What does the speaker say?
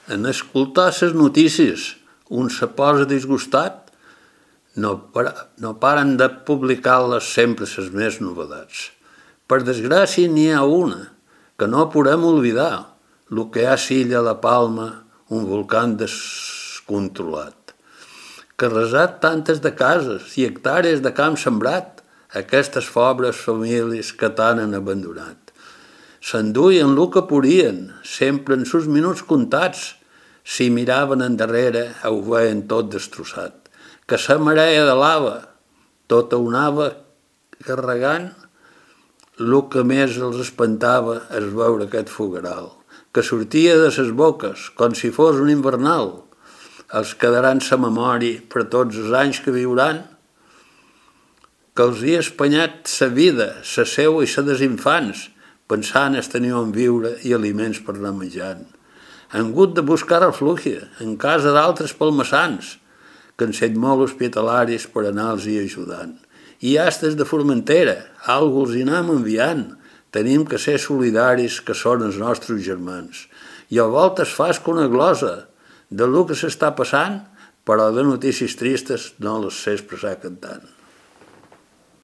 En escoltar les notícies, un se posa disgustat, no paren de publicar-les sempre les més novetats. Per desgràcia n'hi ha una, que no podem oblidar, el que ha sigut a la Palma un volcà descontrolat, que ha arrasat tantes de cases i hectàrees de camp sembrat a aquestes pobres famílies que tant han abandonat. S'enduien el que podien, sempre en sus minuts comptats. Si miraven endarrere, ho veien tot destrossat. Que la marea de lava tota ho anava carregant, el que més els espantava és veure aquest fogueral, que sortia de ses boques, com si fos un invernal. Els quedaran sa memòria per tots els anys que viuran, que els hi ha espanyat sa vida, sa seua i sa dels infants, pensant es tenir on viure i aliments per anar menjant. Han hagut de buscar reflugi en casa d'altres palmassans, que han set molt hospitalaris per anar-los-hi ajudant. I astes de Formentera, algú els hi anem enviant. Tenim que ser solidaris, que són els nostres germans. I a voltes fas que una glosa de lo que s'està passant, però de notícies tristes no les sé expressar cantant.